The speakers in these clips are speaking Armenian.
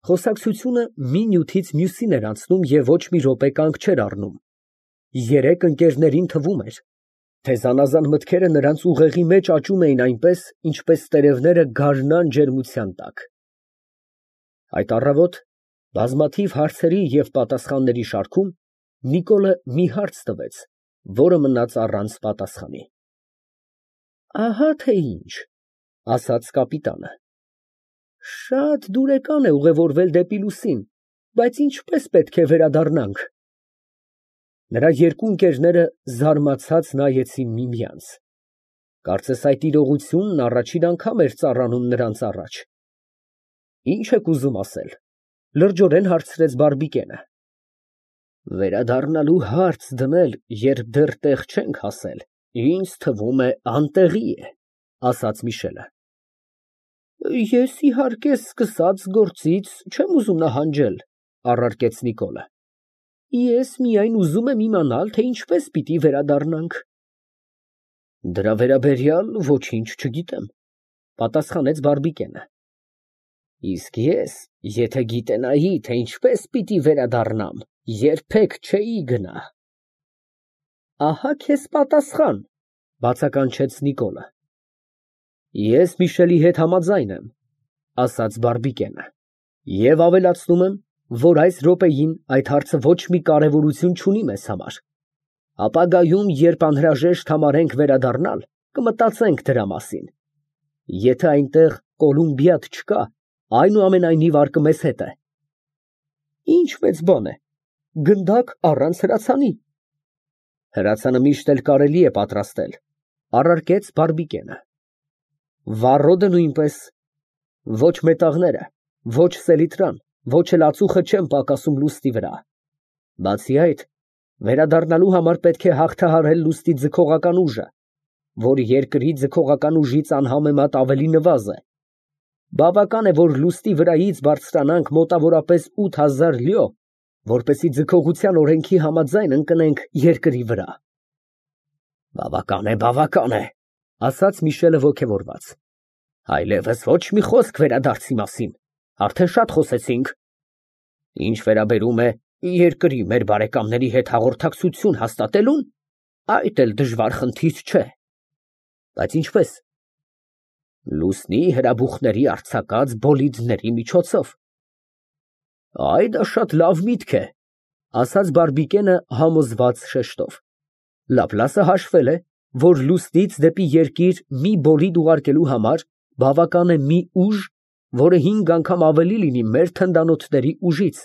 Խոսակցությունը մի նյութից մյուսին էր անցնում և ոչ մի րոպե կանգ չէր առնում։ Երեք ընկերներին թվում էր, թե զանազան մտքերը նրանց ուղեղի մեջ աճում էին այնպես, ինչպես տերևները գարնան ջերմության տակ։ Այդ առավոտ բազմաթիվ հարցերի և պատասխանների շարքում Նիկոլը մի հարց տվեց, որը մնաց առանց պատասխանի։ Ահա թե ինչ, ասաց կապիտանը։ Շատ դուրեկան է ուղևորվել դեպի լուսին, բայց ինչպես պետք է վերադառնանք։ Նրա երկու ընկերները զարմացած նայեցին միմյանց։ Կարծես այդ իրողությունն առաջին անգամ էր ծառանում նրանց առաջ։ Ինչ եք ուզում ասել, լրջորեն հարցրեց Բարբիկենը։ Վերադառնալու հարց դնել, երբ դեռ տեղ չենք հասել, ինձ թվում է անտեղի է, ասաց Միշելը։ Ես իհարկե սկսած գործից չեմ ուզում նահանջել, առարկեց Նիկոլը։ Ես միայն ուզում եմ իմանալ, թե ինչպես պիտի վերադառնանք։ Դրա վերաբերյալ ոչինչ չգիտեմ, պատասխանեց Բարբիկենը։ Իսկ ես, եթե գիտենայի, թե ինչպես պիտի վերադառնամ, երբեք չէի գնա։ Ահա քեզ պատասխան, բացականչեց Նիկոլը։ Ես Միշելի հետ համաձայն եմ, ասաց Բարբիկենը, և ավելացնում եմ, որ այս րոպեին այդ հարցը ոչ մի կարևորություն չունի մեզ համար։ Ապագայում, երբ անհրաժեշտ համարենք վերադառնալ, կմտածենք դրա մասին։ Եթե այնտեղ Կոլումբիադ չկա, այնուամենայնիվ արկը մեզ հետ է։ Ինչ մեծ բան է, գնդակ առանց հրացանի։ Հրացանը միշտ էլ կարելի է պատրաստել, առարկեց Բարբիկենը։ Վառոդը նույնպես, ոչ մետաղները, ոչ սելիտրան, ոչ էլ ածուխը չեն պակասում լուստի վրա։ Բացի այդ, վերադառնալու համար պետք է հաղթահարել լուստի ձգողական ուժը, որ երկրի ձգողական ուժից անհամեմատ ավելի նվազ է։ Բավական է, որ լուստի վրայից բարձրանանք մոտավորապես 8000 լյո, որպեսզի ձգողության օրենքի համաձայն ընկնենք երկրի վրա։ Բավական է, ասաց Միշելը ոգևորված։ Այլևս ոչ մի խոսք վերադարձի մասին, արդեն շատ խոսեցինք։ Ինչ վերաբերում է երկրի մեր բարեկամների հետ հաղորդակցություն հաստատելուն, այդ էլ դժվար խնդիր չէ։ Բայց ինչպես։ Լուսնի հրաբուխների արձակած բոլիդների միջոցով։ Այ դա շատ լավ միտք է, ասաց Բարբիկենը համոզված շեշտով։ Լապլասը հաշվել է, որ լուսնից դեպի երկիր մի բոլիդ ուղարկելու համար բավական է մի ուժ, որը 5 անգամ ավելի լինի մեր թնդանոթների ուժից,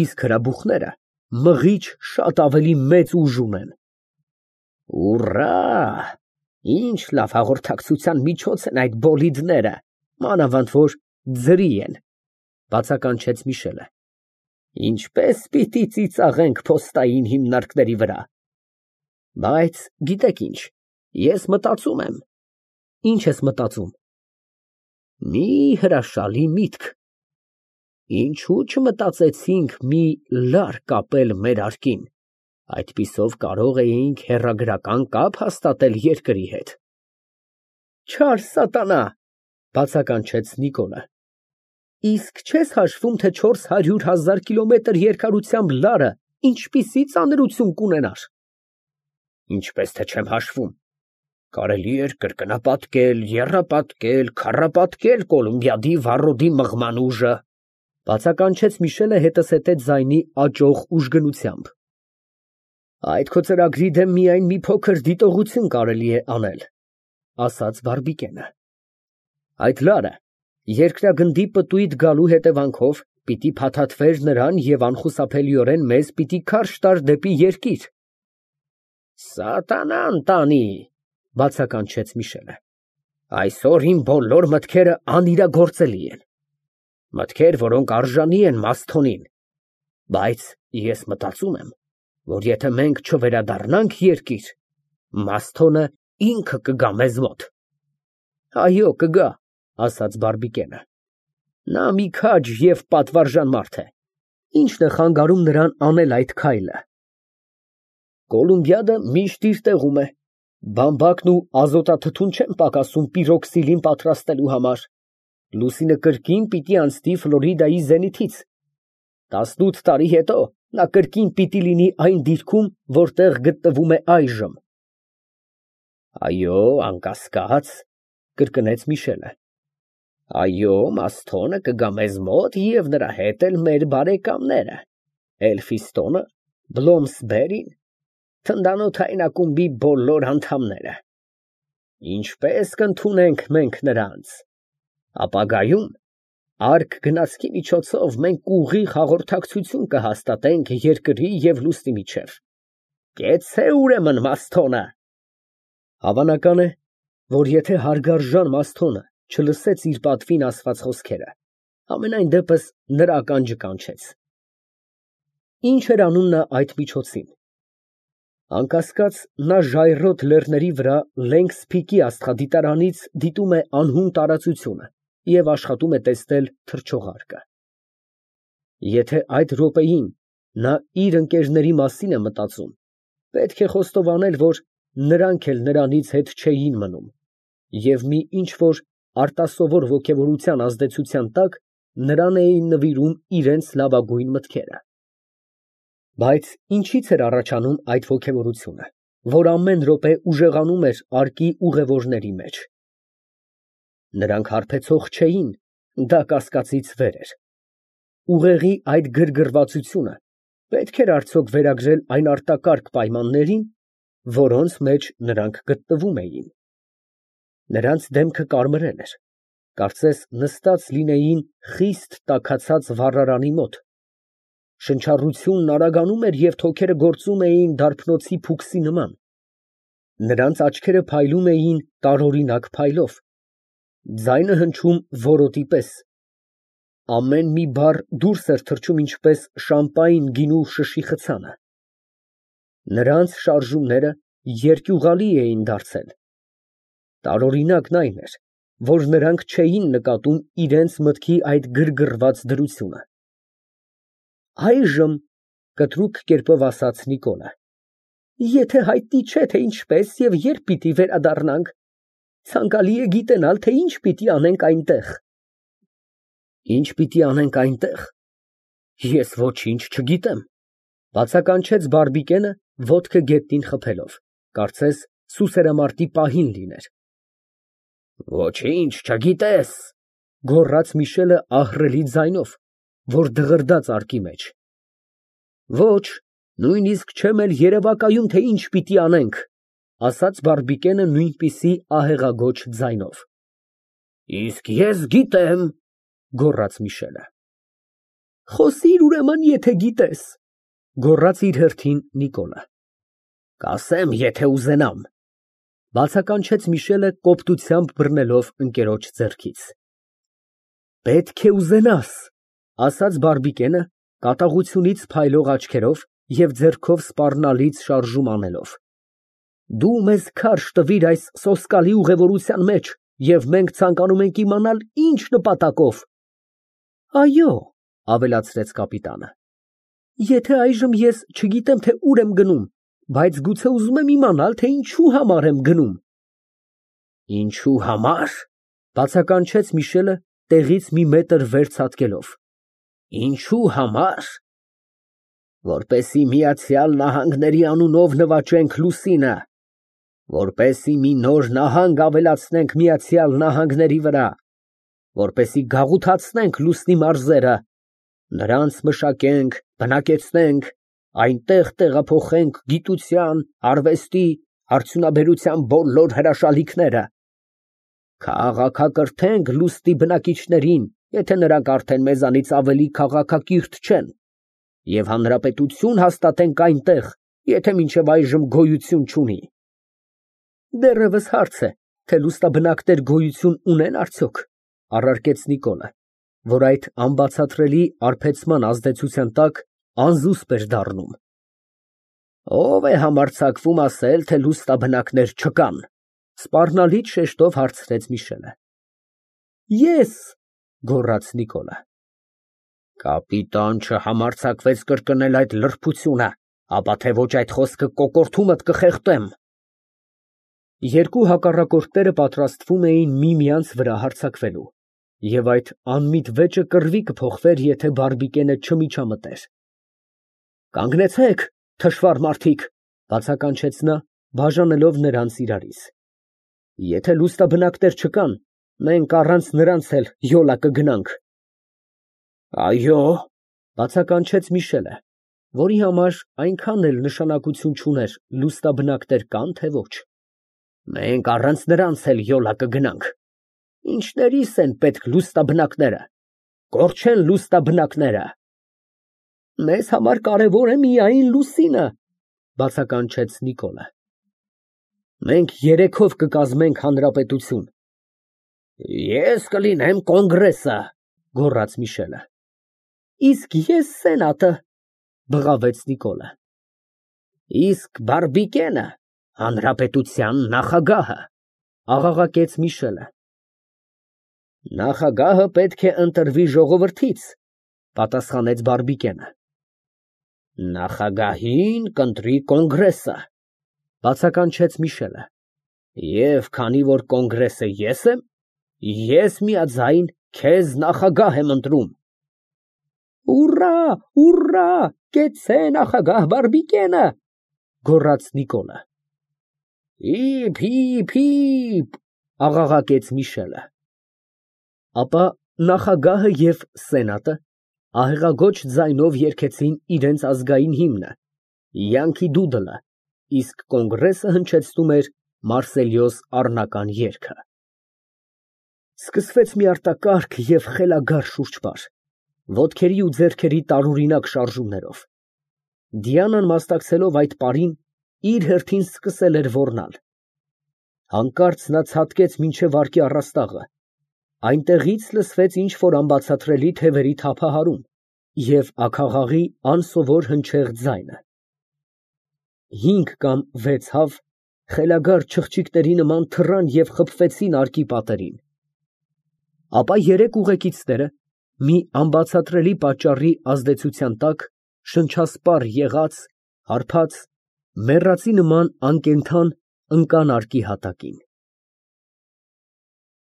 իսկ հրաբուխները մղիչ շատ ավելի մեծ ուժ ունեն։ Ուռա! Ինչ լավ հաղորդակցության միջոց են այդ բոլիդները, մանավանդ որ ձրի են, բացականչեց Միշելը։ Ինչպես պիտի ծիծաղենք փոստային հիմնարկների վրա։ Բայց գիտեք ինչ, ես մտածում եմ։ Ինչ ես մտածում։ Մի հրաշալի միտք։ Ինչու չմտածեցինք մի լար կապել մեր արկին, այդպիսով կարող էինք հեռագրական կապ հաստատել երկրի հետ։ Չար սատանա, բացականչեց Նիկոլը։ Իսկ չես հաշվում, թե 400,000 կիլոմետր երկարությամբ լարը ինչպիսի ծանրություն կունենար։ Ինչպես թե չեմ հաշվում։ Կարելի էր կրկնապատկել, եռապատկել, քառապատկել Կոլումբիադի վառոդի մղման ուժը, բացականչեց Միշելը հետզհետե ձայնի աճող ուժգնությամբ։ Այդ քո ծրագրի դեմ միայն մի փոքր դիտողություն կարելի է անել, ասաց Բարբիկենը։ Այդ լարը երկրագնդի պտույտ գալու հետևանքով պիտի փաթաթվեր նրան և անխուսափելիորեն մեզ պիտի քարշ տար դեպի երկիր։ Սատանան տանի, բացականչեց Միշելը։ Այսօր իմ բոլոր մտքերը անիրագործելի են։ Մտքեր, որոնք արժանի են Մասթոնին։ Բայց ես մտածում եմ, որ եթե մենք չվերադառնանք երկիր, Մասթոնը ինքը կգա մեզ մոտ։ Այո, կգա, ասաց Բարբիկենը։ Նա մի քաջ և պատվարժան մարդ է։ Ի՞նչն է խանգարում նրան անել այդ քայլը։ Կոլումբիադը միշտ իր տեղում է։ Բամբակն ու ազոտաթթուն չեն պակասում պիրոքսիլին պատրաստելու համար։ Լուսինը կրկին պիտի անցնի Ֆլորիդայի զենիթից։ 18 տարի հետո նա կրկին պիտի լինի այն դիրքում, որտեղ գտնվում է այժմ։ Այո, անկասկած, կրկնեց Միշելը։ Այո, Մասթոնը կգա մեզ մոտ և նրա հետ էլ մեր բարեկամները, Էլֆիստոնը, Բլոմսբերին, թնդանոթային ակումբի բոլոր անդամները։ Ինչպես կընդունենք մենք նրանց։ Ապագայում արկ գնացքի միջոցով մենք ուղիղ հաղորդակցություն կհաստատենք երկրի և լուսնի միջև։ Կեցցե ուրեմն Մասթոնը։ Հավանական է, որ եթե հարգարժան Մասթոնը չլսեց իր պատվին ասված խոսքերը, համենայն դեպս նրա ականջը կանչեց։ Ինչ էր անում նա այդ միջոցին։ Անկասկած, նա ժայռոտ լեռների վրա Լենգսփիքի աստղադիտարանից դիտում է անհուն տարածությունը և աշխատում է տեսնել թռչողարկը։ Եթե այդ րոպեին նա իր ընկերների մասին է մտածում, պետք է խոստովանել, որ նրանք էլ նրանից հետ չէին մնում, և մի ինչ֊որ արտասովոր ոգևորության ազդեցության տակ նրան էին նվիրում իրենց լավագույն մտքերը։ Բայց ինչից էր առաջանում այդ ոգևորությունը, որ ամեն րոպե ուժեղանում էր արկի ուղևորների մեջ։ Նրանք հարբեցող չէին, դա կասկածից վեր էր։ Ուղեղի այդ գրգռվածությունը պետք էր արդյոք վերագրել այն արտակարգ պայմաններին, որոնց մեջ նրանք գտնվում էին։ Նրանց դեմքը կարմրել էր, կարծես նստած լինեին խիստ տաքացած վառարանի մոտ։ Շնչառությունն արագանում էր և թոքերը գործում էին դարբնոցի փուքսի նման։ Նրանց աչքերը փայլում էին տարօրինակ փայլով, ձայնը հնչում որոտի պես։ Ամեն մի բառ դուրս էր թռչում ինչպես շամպայն գինու շշի խցանը։ Նրանց շարժումները երկյուղալի էին դարձել։ Տարօրինակն այն էր, որ նրանք չէին նկատում իրենց մտքի այդ գրգռված դրությունը։ Այժմ, կտրուկ կերպով ասաց Նիկոլը, եթե հայտնի չէ, թե ինչպես և երբ պիտի վերադառնանք, ցանկալի է գիտենալ, թե ինչ պիտի անենք այնտեղ։ Ինչ պիտի անենք այնտեղ։ Ես ոչինչ չգիտեմ, բացականչեց Բարբիկենը, ոտքը գետնին խփելով, կարծես սուսերամարտի պահին լիներ։ Ոչինչ չգիտես, գոռաց Միշելը ահռելի ձայնով, որ դղրդաց արկի մեջ։ Ոչ, նույնիսկ չեմ էլ երևակայում, թե ինչ պիտի անենք, ասաց Բարբիկենը նույնպիսի ահեղագոչ ձայնով։ Իսկ ես գիտեմ, գոռաց Միշելը։ Խոսիր ուրեմն, եթե գիտես, գոռաց իր հերթին Նիկոլը։ Կասեմ, եթե ուզենամ, բացականչեց Միշելը կոպտությամբ բռնելով ընկերոջ ձեռքից։ Պետք է ուզենաս, ասաց Բարբիկենը կատաղությունից փայլող աչքերով և ձեռքով սպառնալից շարժում անելով։ Դու մեզ քարշ տվիր այս սոսկալի ուղևորության մեջ, և մենք ցանկանում ենք իմանալ ինչ նպատակով։ Այո, ավելացրեց կապիտանը, եթե այժմ ես չգիտեմ, թե ուր եմ գնում, բայց գուցե ուզում եմ իմանալ, թե ինչու համար եմ գնում։ Ինչու համար, բացականչեց Միշելը տեղից մի մետր վեր ցատկելով։ Ինչու համար։ Որպեսզի Միացյալ Նահանգների անունով նվաճենք լուսինը, որպեսզի մի նոր նահանգ ավելացնենք Միացյալ Նահանգների վրա, որպեսզի գաղութացնենք լուսնի մարզերը, նրանց մշակենք, բնակեցնենք, այնտեղ տեղափոխենք գիտության, արվեստի, արդյունաբերության բոլոր հրաշալիքները, քաղաքակրթենք լուսնի բնակիչներին, եթե նրանք արդեն մեզանից ավելի քաղաքակիրթ չեն, և հանրապետություն հաստատենք այնտեղ, եթե մինչև այժմ գոյություն չունի։ Դեռևս հարց է, թե լուսնաբնակներ գոյություն ունեն արդյոք, առարկեց Նիկոլը, որ այդ անբացատրելի արբեցման ազդեցության տակ անզուսպ էր դառնում։ Ո՞վ է համարձակվում ասել, թե լուսնաբնակներ չկան, սպառնալից շեշտով հարցրեց Միշելը։ Ես, գոռաց Նիկոլը։ Կապիտան չհամարձակվեց կրկնել այդ լրբությունը, ապա թե ոչ այդ խոսքը կոկորդումդ կխեղդեմ։ Երկու հակառակորդները պատրաստվում էին միմյանց վրա հարձակվելու, Եվ այդ անմիտ վեճը կռվի կփոխվեր, եթե բարբիկենը չմիջամտեր։ Կանգնեցեք, թշվառ մարդիկ, բացականչեց նա, բաժանելով նրանց իրարից։ Եթե լուստաբնակներ չկան, մենք առանց նրանց էլ յոլա կգնանք։ Այո, բացականչեց Միշելը, որի համար այնքան էլ նշանակություն չուներ լուստաբնակներ կան, թե ոչ։ Մենք առանց նրանց էլ յոլա կգնանք։ Ինչներիս են պետք լուստաբնակները, կորչեն լուստաբնակները։ Մեզ համար կարևոր է միայն լուսինը, բացականչեց Նիկոլը։ Մենք երեքով կկազմենք հանրապետություն։ Ես կլինեմ կոնգրեսը, գոռաց Միշելը։ Իսկ ես սենատը, բղավեց Նիկոլը։ Իսկ բարբիկենը հանրապետության նախագահը, աղաղակեց Միշելը։ Նախագահը պետք է ընտրվի ժողովրդից, պատասխանեց բարբիկենը։ Նախագահին կընտրի կոնգրեսը, բացականչեց Միշելը։ Եվ քանի որ կոնգրեսը ես եմ, ես միաձայն քեզ նախագահ եմ ընտրում։ Ուռա, ուռա, կեցցե նախագահ բարբիկենը, գոռաց Նիկոլը։ Հիփ, հիփ, հիփ, աղաղակեց Միշելը։ Ապա նախագահը և սենատը ահեղագոչ ձայնով երգեցին իրենց ազգային հիմնը, յանքի դուդլը, իսկ կոնգրեսը հնչեցնում էր Մարսելյոս առնական երգը։ Սկսվեց մի արտակարգ և խելագար շուրջպար, ոտքերի ու ձեռքերի տարօրինակ շարժումներով։ Դիանան մասնակցելով այդ պարին, իր հերթին սկսել էր ոռնալ։ Հանկարծ նա ցատկեց մինչև վարկի առաստաղը, այնտեղից լսվեց ինչ֊որ անբացատրելի թևերի թափահարում և աքաղաղի անսովոր հնչեղ ձայնը։ 5 կամ 6 հավ խելագար չղջիկների նման թռան և խփվեցին արկի պատերին։ Ապա 3 ուղեկիցները մի անբացատրելի պատճառի ազդեցության տակ շնչասպառ եղած, հարբած, մեռածի նման անկենդան ընկան արկի հատակին։